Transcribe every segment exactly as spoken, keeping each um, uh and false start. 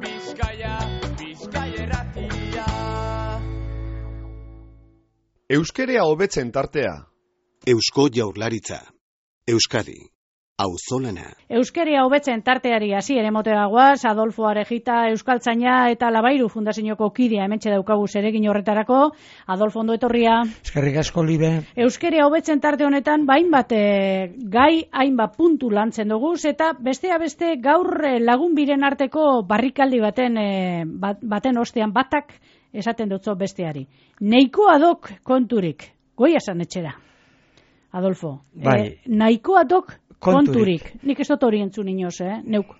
Bizkaia, Bizkaia irratia. Euskerea hobetzen tartea. Eusko Jaurlaritza. Euskadi. Auzolana. Euskeria hobetzen tarteari hasi ere motera guaz, Adolfo Arejita, Euskaltzaina eta Labairu Fundazioko kidea hementxe daukagu zeregin horretarako. Adolfo, ondo etorria. Eskerrik asko, Libe. Euskeria hobetzen tarte honetan, hainbat e, gai, hainbat puntu lantzen dugu, eta bestea beste gaur e, lagun biren arteko barrikaldi baten, e, bat, baten ostean batak esaten dutzo besteari. Neikoa dok konturik, goia esan etxera. Adolfo, bai. e, nahikoa dok konturik. konturik. Nik ez dut hori entzun inoz, eh? Neuk.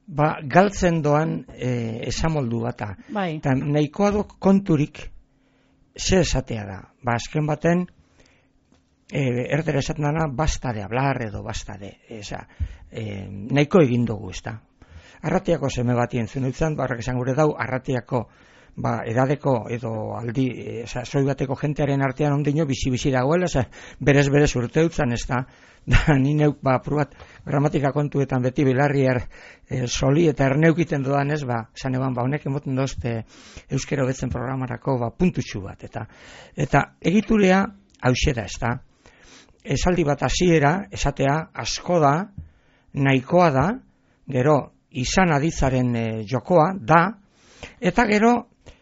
Ba, galtzen doan e, esamoldu bata. Bai. Eta nahikoa dok konturik ze esatea da. Ba, azken baten, e, erdera esaten dana, basta de hablar edo basta de. Eza, e, nahiko egin dugu, ez da. Arratiako seme bati entzun dutzen, barrak esan gure dau, arratiako ba, edadeko edo aldi, eza, soi bateko jentearen artean ondino bizi-bizi dagoela, eza, berez-berez urte dutzen, ez da. Da, ni neuk, ba, prubat, gramatika kontuetan beti bilarriar e, soli eta erneukiten doan ez, ba, esan eban, ba, honek emoten dozte euskero betzen programarako, ba, puntutxu bat, eta eta egiturea hauxe da, ez da. Esaldi bat hasiera esatea, asko da, nahikoa da, gero, izan aditzaren e, jokoa, da, eta gero,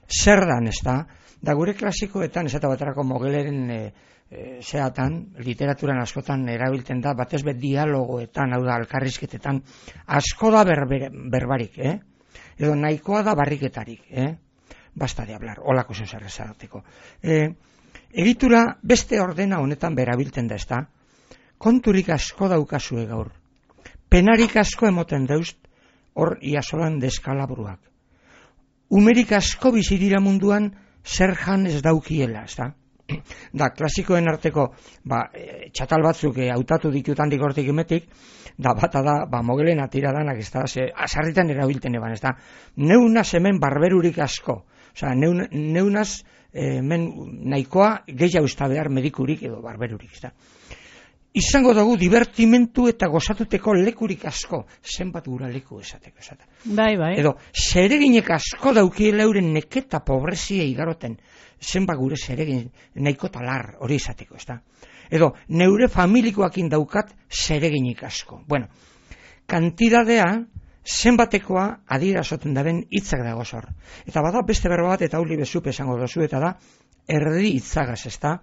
zer dan, ez da. Da, gure klasikoetan, esate baterako Mogeleren e, E, zeatan, literaturan askotan erabiltzen da, batez bet dialogoetan, hau da, alkarrizketetan, asko da berber, berbarik, eh? Edo nahikoa da barriketarik, eh? Basta de hablar, holako zeuzer esateko. E, egitura beste ordena honetan berabiltzen da, ez da? Konturik asko daukazue gaur. Penarik asko emoten daust, hor iasolan deskalabruak. Umerik asko bizidira munduan, zer jan ez daukiela, ez da? Da, klasikoen arteko ba, e, txatal batzuk e, hautatu ditutan dikortik emetik, da bata da, ba, Mogelen atira danak, ez da, ze, azarritan erabilten eban, ez da, neunaz hemen barberurik asko, osea, neun, neunaz e, hemen nahikoa gehiago usta behar medikurik edo barberurik, ez da. Izango dugu divertimentu eta gozatuteko lekurik asko, zenbat gura leku esateko, esateko. Bai, bai. Edo, zereginek asko daukiela euren neketa pobrezia igaroten, zenbat gure zeregin nahiko talar hori izateko, ez da. Edo, neure familikoakin daukat zereginik asko. Bueno, kantidadea zenbatekoa adirazoten daren hitzak dago zor. Eta bada beste berba bat, eta huli bezupe esango dozu, eta da, erdi hitzagaz, ez da.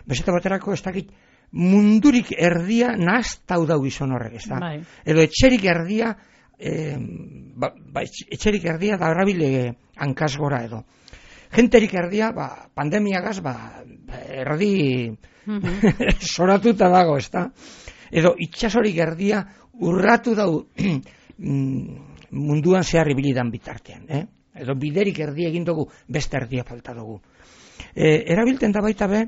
Bezeta baterako, ez dakit, mundurik erdia nahaztau dau gizon horrek, ez da. Bai. Edo etxerik erdia, e, ba, ba, etxerik erdia da errabile hankaz gora edo. Genterik erdia, ba, pandemiagaz, ba, erdi mm-hmm. soratuta dago, ez da. Edo itxasorik erdia urratu dau munduan zehar ibilidan bitartean, eh? Edo biderik erdia egin dugu, beste erdia falta dugu. E, erabilten da baita be,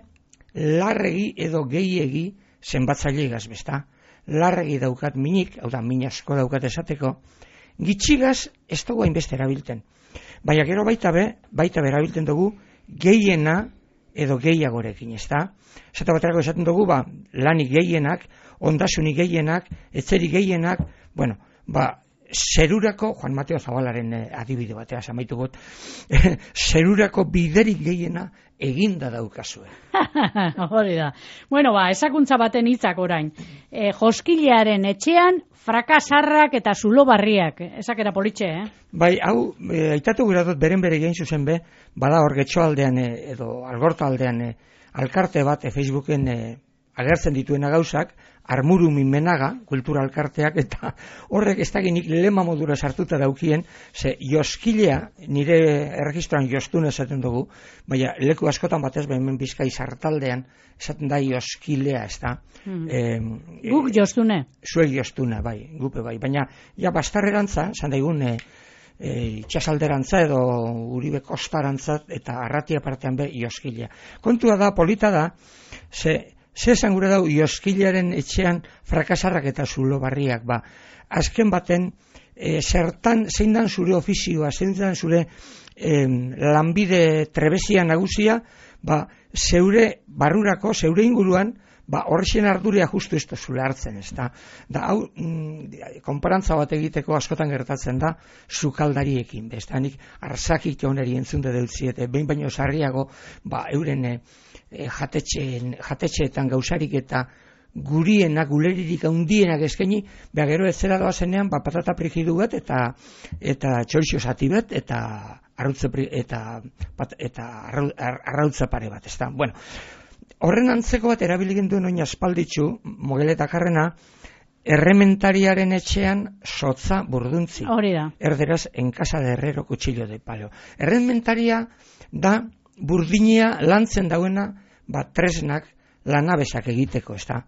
larregi edo gehiegi zenbatzaile igaz, besta. Larregi daukat minik, hau da, min asko daukat esateko, gitxigaz ez dugu hainbeste erabilten. Baina gero baita be, baita be erabilten dugu gehiena edo gehiagorekin, ez da? Zata baterako esaten dugu, ba, lanik gehienak, ondasunik gehienak, etzeri gehienak, bueno, ba, zerurako, Juan Mateo Zabalaren eh, adibide batea samaitu got, zerurako biderik gehiena eginda daukazue. Hori da. Bueno, ba, esakuntza baten hitzak orain. E, joskilearen etxean, frakasarrak eta zulo barriak. Esakera politxe, eh? Bai, hau, e, aitatu gura dut beren bere gein zuzen be, bada hor getxoaldean e, edo algorta aldean e, alkarte bat e, Facebooken e, agertzen dituena gauzak, Armuru Minmenaga, kultura alkarteak, eta horrek ez dakinik lema modura sartuta daukien, ze joskilea, nire erregistroan jostune esaten dugu, baina leku askotan batez behin Bizkai sartaldean, esaten da joskilea, ez da. Hmm. E, Guk jostune. Zuek jostune, bai, gupe bai, baina ja bastarrerantza, esan daigun, e, e, itxasalderantza edo Uribe Kostarantza, eta Arratia partean be joskilea. Kontua da, polita da, ze, Ze esan gure dau, joskilaren etxean frakasarrak eta zulo barriak, ba, azken baten, e, zertan, zein dan zure ofizioa, zein dan zure e, lanbide trebezia nagusia, ba, zeure barrurako, zeure inguruan, ba, horrexen arduria justu ez duzule hartzen, ez da. Da, hau, mm, konparantza bat egiteko askotan gertatzen da, sukaldariekin, ez da, nik arzakik joneri entzunde deutziete, behin baino sarriago, ba, euren e, jatetxeen, jatetxeetan gauzarik eta gurienak, guleririk handienak eskaini, beha gero ez zera doazenean, ba, patata frijidu bat, eta eta txorixo zati bat, eta arrautza eta, pat, eta arrautza pare bat, ez da. Bueno, horren antzeko bat erabiligen duen oin aspalditzu, Mogeletak-arrena, errementariaren etxean sotza burduntzi. Hori da. Erderaz, en casa de herrero cuchillo de palo. Errementaria da burdinea lantzen dauena, ba, tresnak, lanabesak egiteko, ez da.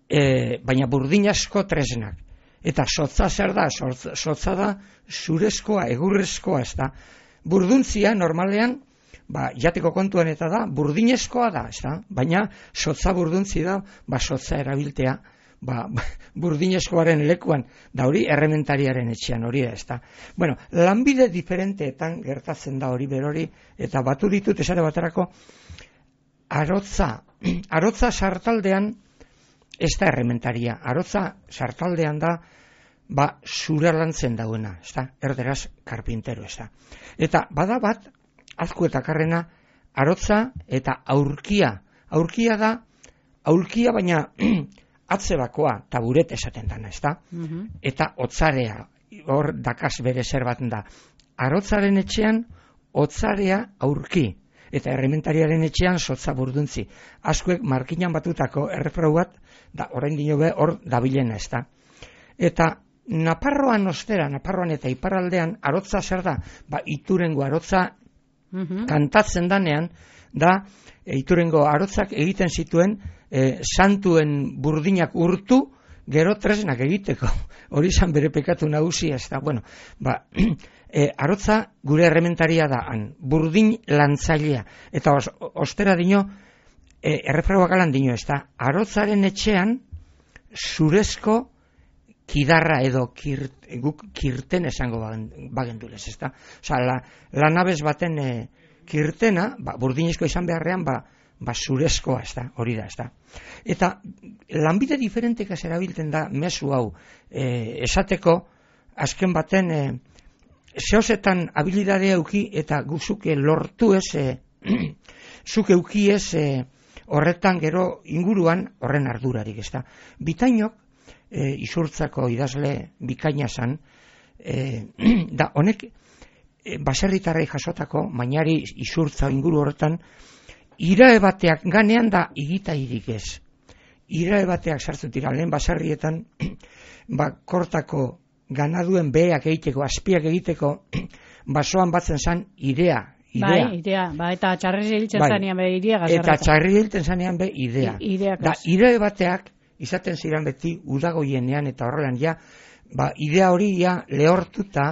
E, baina burdin asko tresnak. Eta sotza zer da? Sotza da zurezkoa, egurrezkoa, ez da. Burduntzia, normalean, ba, jateko kontuan eta da, burdinezkoa da, ez da. Baina sotza burduntzi da, ba, sotza erabiltea, ba, burdinezkoaren lekuan, da hori errementariaren etxean hori da, ez da. Bueno, lanbide diferenteetan gertatzen da hori berori, eta batu ditut esare baterako, arotza, arotza sartaldean, ez da errementaria, arotza sartaldean da, ba, zura lantzen dauena, ez da, erderaz karpintero, ez da. Eta bada bat, Azkuetak-arrena, arotza eta aurkia. Aurkia da, aurkia baina atzebakoa, taburet esaten dana, ez da. Mm-hmm. Eta otzarea, hor dakaz bere zer bat da. Arotzaren etxean, otzarea aurki. Eta errementariaren etxean sotza burduntzi. Azkuek markinan batutako errefrau bat, da orain dino be hor dabilena, ez da. Eta Naparroan ostera, Naparroan eta iparraldean, arotza zer da? Ba, Iturengo arotza mm-hmm. kantatzen danean, da e, Iturengo arotzak egiten zituen e, santuen burdinak urtu, gero tresnak egiteko. Hori izan bere pekatu nagusia, ez da. Bueno, ba, e, arotza gure errementaria da, han, burdin lantzailea. Eta os, ostera dino, e, errefrauak alan dino, ez da. Arotzaren etxean, zurezko kidarra edo kirt, guk kirten esango bagendulez, ez da. Osa, la, lanabez baten e, kirtena, ba, burdinezko izan beharrean, ba, ba zurezkoa, ez da, hori da, ez da. Eta lanbide diferentekaz erabiltzen da mezu hau, e, esateko, azken baten, e, zehozetan habilidadea euki eta guzuke lortu ez, e, zuk euki ez, e, horretan gero inguruan horren ardurarik, ez da. Bitainok, e, Izurtzako idazle bikaina zan, e, da honek e, baserritarrei jasotako, mainari Izurtza inguru horretan, irae bateak ganean da igitairik ez. Irae bateak sartu dira lehen baserrietan, ba, kortako ganaduen beheak egiteko, azpiak egiteko, basoan batzen zan irea. Idea. Bai, idea, ba, eta txarri hiltzen bai. zanean be idea gazarreta. Eta txarri hiltzen zanean be idea. I, da, irae bateak, izaten ziren beti udagoienean eta horrelan ja, ba, idea hori ja lehortuta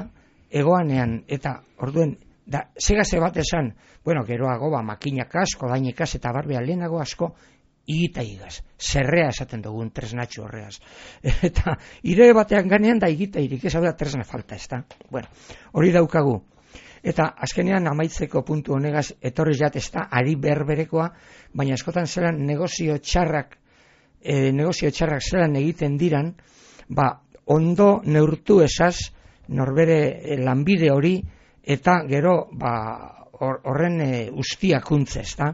egoanean, eta orduen, da, segase bat esan, bueno, geroago, ba, makinak asko, dainikaz, eta barbea lehenago asko, igita igaz, zerrea esaten dugun tresnatxo horreaz. Eta ire batean ganean da igita irik, ez hau da tresna falta, ez da. Bueno, hori daukagu. Eta azkenean amaitzeko puntu honegaz, etorri jat ez da, ari berberekoa, baina askotan zelan negozio txarrak, e, negozio txarrak zelan egiten diran, ba, ondo neurtu esaz, norbere lanbide hori, eta gero ba, horren or, e, ustiakuntze, ez da.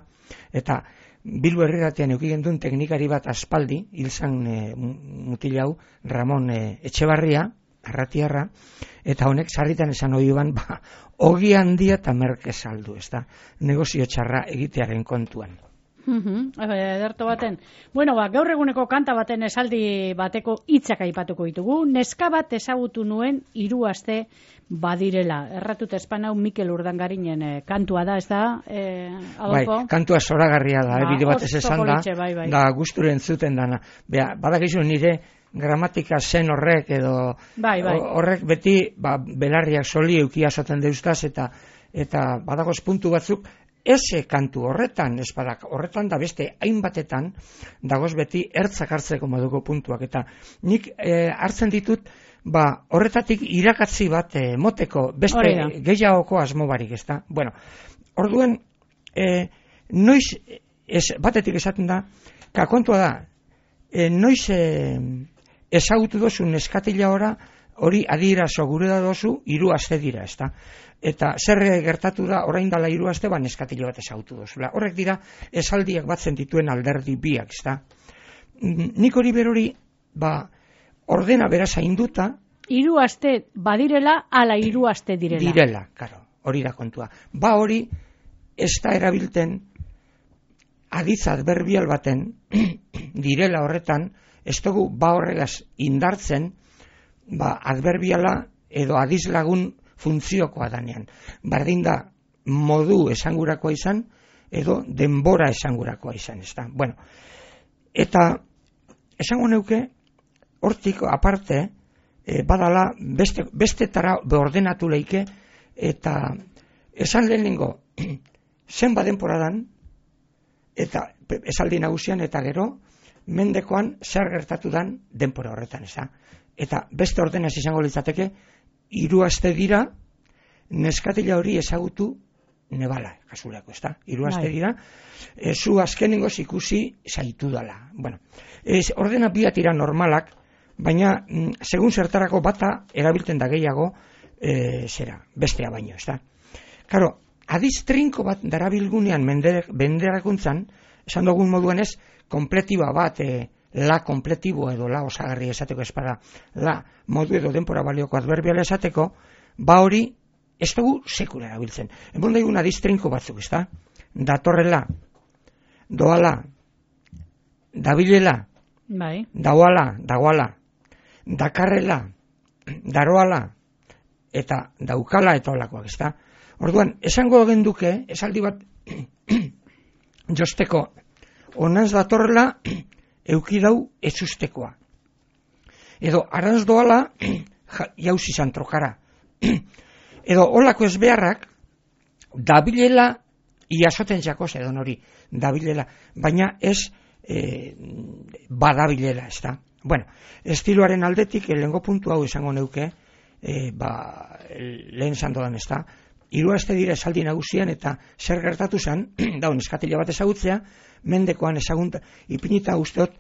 Eta Bilbo Herriratean eukigen duen teknikari bat aspaldi, hilzan e, mutil hau, Ramon e, Etxebarria, arratiarra, eta honek sarritan esan hori ban, ba, ogi handia eta merke saldu, ez da, negozio txarra egitearen kontuan. Ederto baten. Bueno, ba, gaur eguneko kanta baten esaldi bateko hitzak aipatuko ditugu. Neska bat ezagutu nuen hiru aste badirela. Erratut espanau Mikel Urdangarinen eh, kantua da, ez da, eh, Adolfo? Bai, kantua zoragarria da, ba, bide batez esan da, bai, bai. da guzturen zuten dana. Bea, badakizu nire gramatika zen horrek edo bai, bai. horrek beti ba, belarriak soli eukia esaten deustaz eta eta badagoz puntu batzuk eze kantu horretan, ez badak, horretan da beste hainbatetan dagoz beti ertzak hartzeko moduko puntuak, eta nik e, hartzen ditut, ba, horretatik irakatzi bat e, moteko beste gehiagoko asmo barik, ez da? Bueno, orduen, e, noiz, ez, batetik esaten da, kakontua da, e, noiz e, ezagutu dozu neskatila ora, hori adierazo gure da dozu, hiru aste dira, ezta? Eta zer gertatu da, orain dala hiru aste, ba, neskatila bat ezagutu dozula. Horrek dira, esaldiak batzen dituen alderdi biak, ezta? Nik hori berori, ba, ordena beraz hainduta, hiru aste badirela, ala hiru aste direla. Direla, karo, hori da kontua. Ba hori, ez da erabilten aditz adverbial baten direla horretan, ez dugu ba horregaz indartzen, ba adverbiala edo aditz lagun funtziokoa danean. Bardin da modu esangurakoa izan, edo denbora esangurakoa izan, ez da. Bueno, eta esango neuke, hortik aparte, e, badala beste, bestetara ordenatu leike, eta esan lehenengo, zenba denporadan, eta esaldi nagusian, eta gero, mendekoan zer gertatu dan denpora horretan, ez da. Eta beste ordenaz izango litzateke, hiru aste dira, neskatila hori ezagutu nebala, kasurako, ez da. Hiru aste dira, e, zu azkenengoz ikusi zaitu dala. Bueno, ez, ordena biatira normalak, baina mm, segun zertarako bata erabiltzen da gehiago, e, zera, bestea baino, ez da. Karo, adiz trinko bat darabilgunean benderakuntzan, esan dugun moduan ez, kompletiba bat, e, la kompletibo edo la osagarri esateko espada, la modu edo denpora balioko adverbiala esateko, ba hori ez dugu sekula erabiltzen. Ebon daigun adiz trinko batzuk, ez da? Datorrela, doala, dabilela, bai. Dauala, dagoala, dakarrela, daroala, eta daukala eta olakoak, ez da? Orduan, esango genduke, esaldi bat josteko, onaz datorrela, eukidau ezustekoa. Edo, aranz doala, jauz izan trokara. Edo, olako ez beharrak, dabilela, iasoten jakoz edo nori, dabilela, baina ez e, badabilela, ez da. Bueno, estiloaren aldetik, lehengo puntu hau izango neuke, e, ba, lehen zandodan, ez da, hiru aste dira esaldi nagusian eta zer gertatu zen, daun eskatila bat ezagutzea, mendekoan ezagunta, ipinita usteot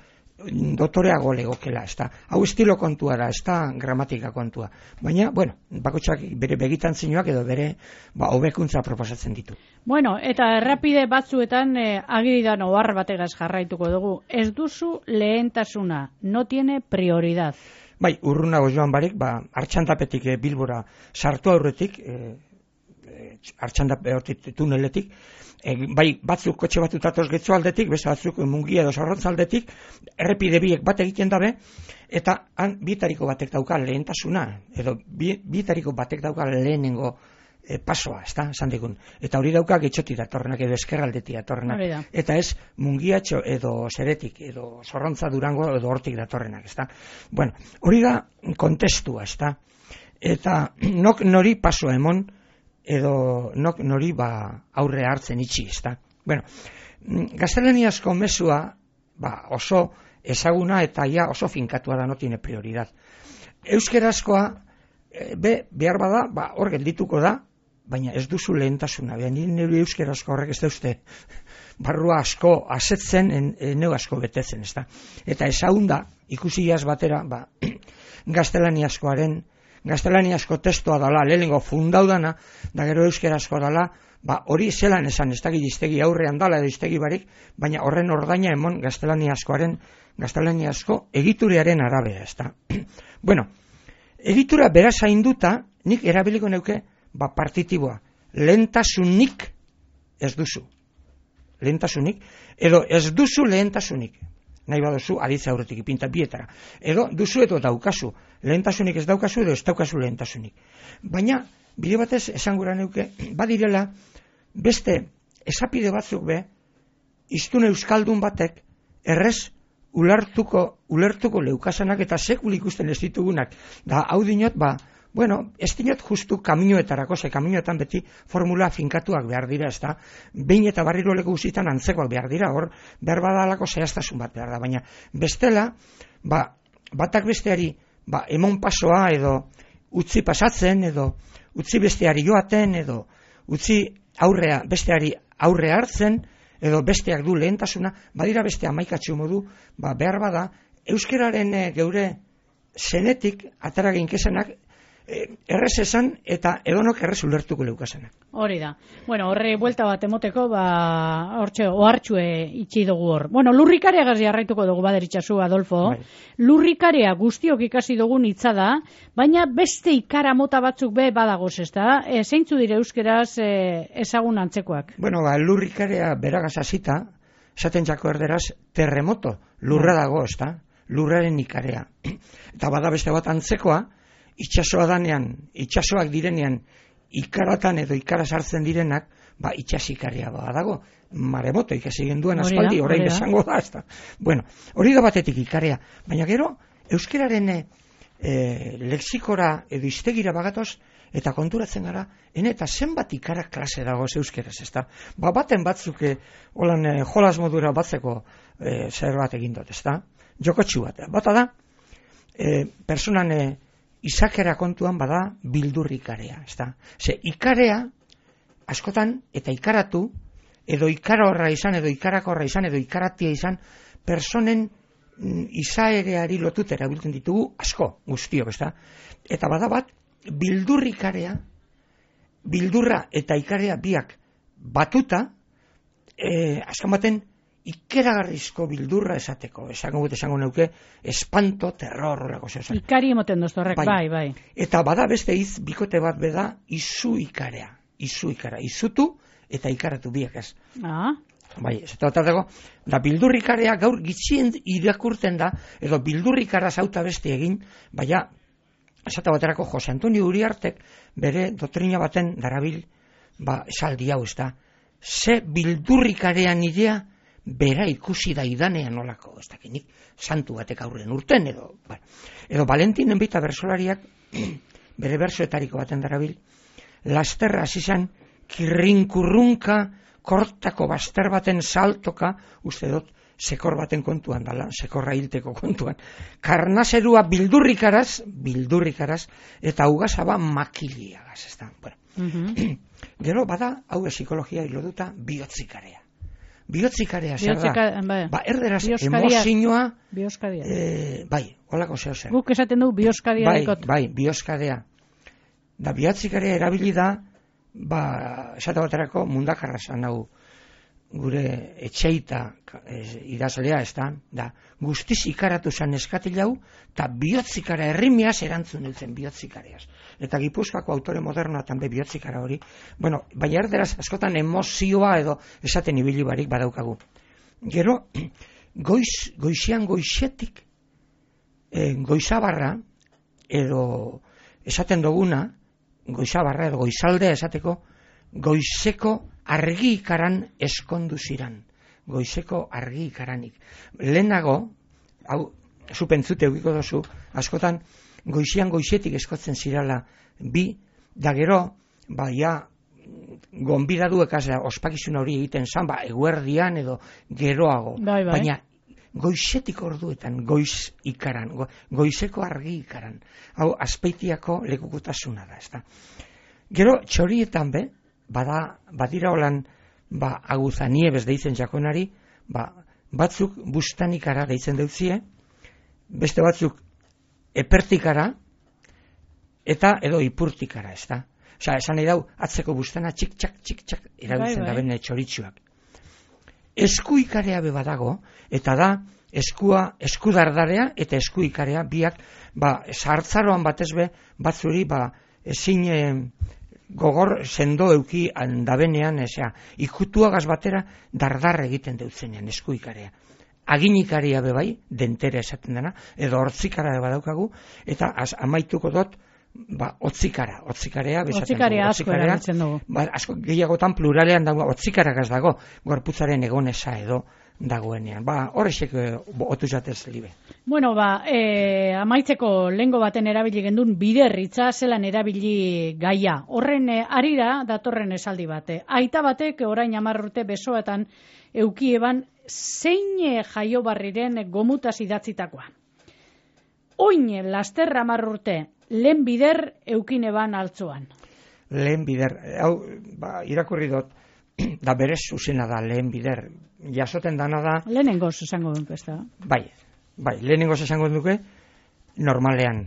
dotoreago legokela, ez da. Hau estilo kontua da, ez da gramatika kontua. Baina, bueno, bakotxak bere begitantzinoak edo bere ba, hobekuntza proposatzen ditu. Bueno, eta errapide batzuetan eh, agiridan ohar bategaz jarraituko dugu. Ez duzu lehentasuna, no tiene prioridad. Bai, urrunago joan barik, ba, Artxandapetik e, Bilbora sartu aurretik, e, Artxandapetik tuneletik, e, bai batzuk kotxe batut atoz getxo aldetik, beste batzuk mungia edo sarrontza aldetik, errepide biek bat egiten dabe, eta han bitariko batek dauka lehentasuna, edo bi, bitariko batek dauka lehenengo e, pasoa, ez da, esan digun. Eta hori dauka getxoti datorrenak edo eskerraldetik datorrenak. Da. Eta ez mungiatxo edo zeretik, edo zorrontza durango edo hortik datorrenak, ez da. Bueno, hori da kontestua, ez da. Eta nok nori pasoa emon, edo nok nori ba aurre hartzen itxi, ez da. Bueno, gaztelaniazko mezua ba, oso ezaguna eta ja oso finkatua da, no tiene prioridad. Euskerazkoa, be, behar bada, ba, hor geldituko da, baina ez duzu lehentasuna. Beha, nire euskerazko horrek ez da uste barrua asko asetzen, neu asko betetzen, ez da. Eta ezagunda, ikusi jaz batera, ba, gaztelaniazkoaren gaztelaniazko testua dala, lehenengo fundau dana, da gero euskerazko dala, ba, hori zelan esan, ez dakit iztegi aurrean dala edo iztegi barik, baina horren ordaina emon gaztelaniazkoaren, gaztelaniazko egiturearen arabera, ez da. Bueno, egitura beraz hainduta, nik erabiliko neuke, ba, partitiboa, lehentasunik ez duzu. Lehentasunik, edo ez duzu lehentasunik. Nahi baduzu, aditza aurretik ipinta bietara. Edo, duzu edo daukazu. Lehentasunik ez daukazu edo ez daukazu lehentasunik. Baina, bide batez, esangura neuke, badirela, beste esapide batzuk be, iztun euskaldun batek, errez, ulertuko, ulertuko leukasanak eta sekul ikusten ez ditugunak. Da, hau dinot, ba, bueno, ez dinot justu kaminoetarako, ze kaminoetan beti formula finkatuak behar dira, ez da, behin eta barriro leku guzitan antzekoak behar dira, hor, behar badalako zehaztasun bat behar da, baina bestela, ba, batak besteari, ba, emon pasoa edo utzi pasatzen, edo utzi besteari joaten, edo utzi aurrea, besteari aurre hartzen, edo besteak du lehentasuna, badira beste hamaikatxo modu, ba, behar bada, euskararen e, geure zenetik atara ginkesenak e, errez esan eta edonok errez ulertuko leukasenak. Hori da. Bueno, horre buelta bat emoteko, ba, hortxe, ohartxue itxi dugu hor. Bueno, lurrikareagaz jarraituko dugu baderitxazu, Adolfo. Bai. Lurrikarea guztiok ikasi dugun hitza da, baina beste ikara mota batzuk be badagoz, ez da? E, zeintzu dire euskeraz e, ezagun antzekoak? Bueno, ba, lurrikarea beragaz hasita, esaten jako erderaz, terremoto, lurra dago, ez da? Lurraren ikarea. Eta bada beste bat antzekoa, itxasoa danean, itxasoak direnean, ikaratan edo ikara sartzen direnak, ba, itxasikaria badago, maremoto ikasi genduen aspaldi, orain esango da, ez da. Bueno, hori da batetik ikarea, baina gero, euskeraren e, lexikora edo iztegira bagatoz, eta konturatzen gara, ene eta zenbat ikara klase dago euskeraz, ez da. Ba, baten batzuk, e, holan e, jolas modura batzeko e, zer bat egin dut, ez da. Jokotxu bat, bata da, e, personan e, izakera kontuan bada bildurrikarea, ez da. Ze, ikarea, askotan, eta ikaratu, edo ikara horra izan, edo ikarakorra izan, edo ikaratia izan, personen mm, izaereari lotutera biltzen ditugu asko, guztiok, ez da. Eta bada bat, bildurrikarea, bildurra eta ikarea biak batuta, e, azkan baten, ikeragarrizko bildurra esateko, esango gut esango neuke, espanto, terror, horreko zeu. Ikari emoten doztu horrek, bai, bai, bai. Eta bada beste iz, bikote bat beda, izu ikarea, izu ikara, izutu eta ikaratu biak ez. Ah. Bai, ez eta bat dago, da bildurrikarea gaur gitxien irakurten da, edo bildurrikara zauta beste egin, baina, esata baterako Jose Antonio Uriartek bere doktrina baten darabil, ba, esaldi hau ez da, ze bildurrikarean idea, bera ikusi da idanean olako, ez dakinik, santu batek aurren urten, edo, bueno, edo Valentinen bita bersolariak, bere bersoetariko baten darabil, lasterra zizan, kirrinkurrunka, kortako baster baten saltoka, uste dut, sekor baten kontuan dala, sekorra hilteko kontuan, karnazerua bildurrikaraz, bildurrikaraz, eta ugazaba makiliagaz, ez da, bueno. Uh-huh. Gero, bada, hau psikologia hiloduta, bihotzikarea. Bihotzikarea zer da, bai. ba, erderaz emozioa, bioskadia. E, bai, holako zeo zer. Guk esaten du bioskadia bai, dekot. bai, bioskadea. Da, bihotzikarea erabili da, ba, esate baterako mundakarra zan hau, gure etxeita e, idazlea, ez da, da, guztiz ikaratu zan eskatilau, eta bihotzikara errimiaz erantzun dutzen bihotzikareaz. Eta Gipuzkoako autore modernoatan be bihotzikara hori, bueno, baina erderaz askotan emozioa edo esaten ibili barik badaukagu. Gero, goiz, goizian goizetik, e, goizabarra, edo esaten duguna, goizabarra edo goizaldea esateko, goizeko argi ikaran eskondu ziran. Goizeko argi ikaranik. Lehenago, hau, zu pentzute eukiko dozu, askotan, goizian goizetik eskotzen zirala bi, da gero, ba, ja, gonbidadu ekazera, ospakizun hori egiten zan, ba, eguerdian edo geroago. Bai, bai. Baina, goizetik orduetan, goiz ikaran, go, goizeko argi ikaran. Hau, azpeitiako lekukotasuna da, ez da. Gero, txorietan be, bada, badira holan, ba, aguzaniebez deitzen jakonari, ba, batzuk bustanikara deitzen dutzie, beste batzuk epertikara, eta edo ipurtikara, ez da. Osa, esan nahi dau, atzeko bustana txik-txak, txik-txak, erabiltzen bai, bai. da bene txoritxuak. Esku ikarea be badago, eta da, eskua, eskudardarea eta esku ikarea biak, ba, sartzaroan batez be, batzuri, ba, ezin e, gogor sendo euki handabenean, ezea, ikutuagaz batera dardar egiten deutzenean esku ikarea. Aginikaria be bai, dentera esaten dena, edo hortzikara be badaukagu, eta az, amaituko dut, ba, otzikara, otzikarea, otzikaria asko erabiltzen dugu. Ba, asko gehiagotan pluralean dago, otzikaragaz dago, gorputzaren egonesa edo dagoenean. Ba, horrexek otu jatez libe. Bueno, ba, e, amaitzeko lengo baten erabili gendun biderritza zelan erabili gaia. Horren e, arira datorren esaldi bate. Aita batek orain hamar urte besoetan eukieban zein jaio barriren gomutaz idatzitakoa. Oin laster hamar urte, lehen bider eukine ban altzoan. Lehen bider, hau, ba, irakurri dut, da berez zuzena da lehen bider. Jasoten dana da... Lehenengoz esango dut, ez da? Bai, bai, lehenengoz esango duke, normalean.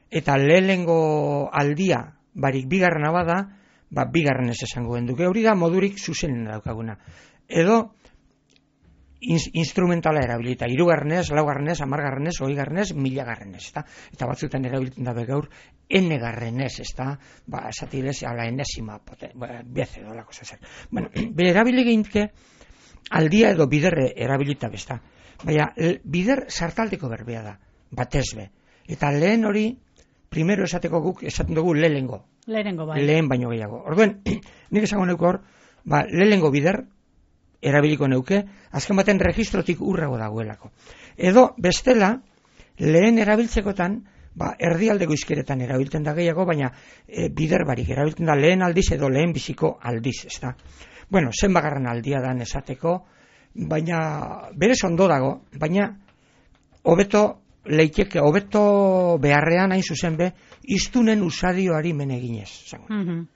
Eta lehenengo aldia, barik bigarrena bada, ba, bigarren ez esango duke. Hori da modurik zuzenen daukaguna. Edo, in- instrumentala erabilita, hirugarrenez, laugarrenez, hamargarrenez, hogeigarrenez, milagarrenez, eta eta batzuetan erabiltzen da gaur n-garrenez, ezta? Ba, esatilez, ala enesima poten, ba, beze dolako zer. Bueno, bere erabili geinke aldia edo biderre erabilita besta. Baina bider sartaldeko berbea da, batez be. Eta lehen hori primero esateko guk esaten dugu lehengo. Lehenengo bai. Lehen baino gehiago. Orduen, nik esango neuko hor, ba, lehengo bider erabiliko neuke, azken baten registrotik urrago dagoelako. Edo, bestela, lehen erabiltzekotan, ba, erdialdeko izkeretan erabiltzen da gehiago, baina e, bider barik erabiltzen da lehen aldiz edo lehen biziko aldiz, ez da. Bueno, zenbagarren aldia dan esateko, baina berez ondo dago, baina hobeto leiteke, hobeto beharrean hain zuzen be, iztunen usadioari meneginez. Mm-hmm.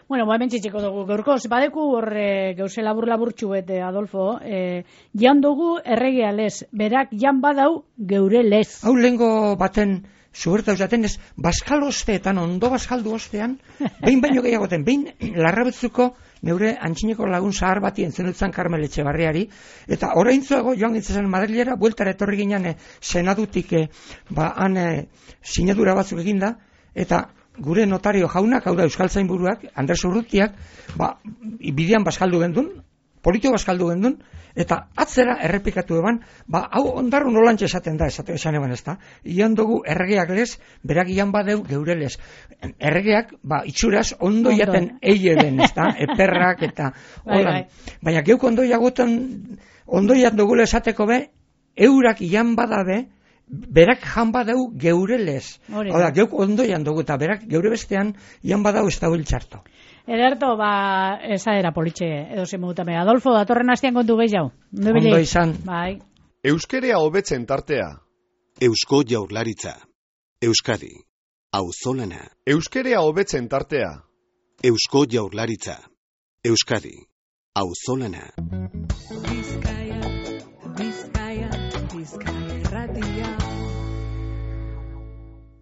Bueno, ba, hemen txitxiko dugu. Gaurkoz, badeku horre gauze labur-laburtxu bete, Adolfo, eh, jan dugu erregea lez, berak jan badau geure lez. Hau lehengo baten zuberta usaten ez, baskal osteetan, ondo baskaldu ostean, behin baino gehiagoten, behin larrabetzuko neure antxineko lagun zahar bati entzenutzen Karmel Etxebarriari, eta oraintzuago joan gintzen Madrilera, bueltara etorri ginen e, senadutik, e, ba, han e, sinadura batzuk eginda, eta gure notario jaunak, hau da Euskaltzainburuak, Andres Urrutiak, ba, bidean baskaldu gendun, politiko baskaldu gendun, eta atzera errepikatu eban, ba, hau ondarru nolantxe esaten da, esate esan eban ez da, ian dugu erregeak lez, berak ian badeu geure lez. Erregeak, ba, itxuraz, ondo jaten eieben, ez da, eperrak, eta bai, holan. bai. Baina geuk ondo jagoten, ondo jat dugule esateko be, eurak ian badabe, berak jan badeu geure lez. Hala, geuk ondo jan dugu, eta berak geure bestean ian badau ez da txarto. Ederto, ba, esa era politxe, edo zemutame. Adolfo, datorren hastian kontu gehiago. Ondo izan. Bai. Euskerea hobetzen tartea. Eusko Jaurlaritza. Euskadi. Auzolana. Euskerea hobetzen tartea. Eusko Jaurlaritza. Euskadi. Auzolana.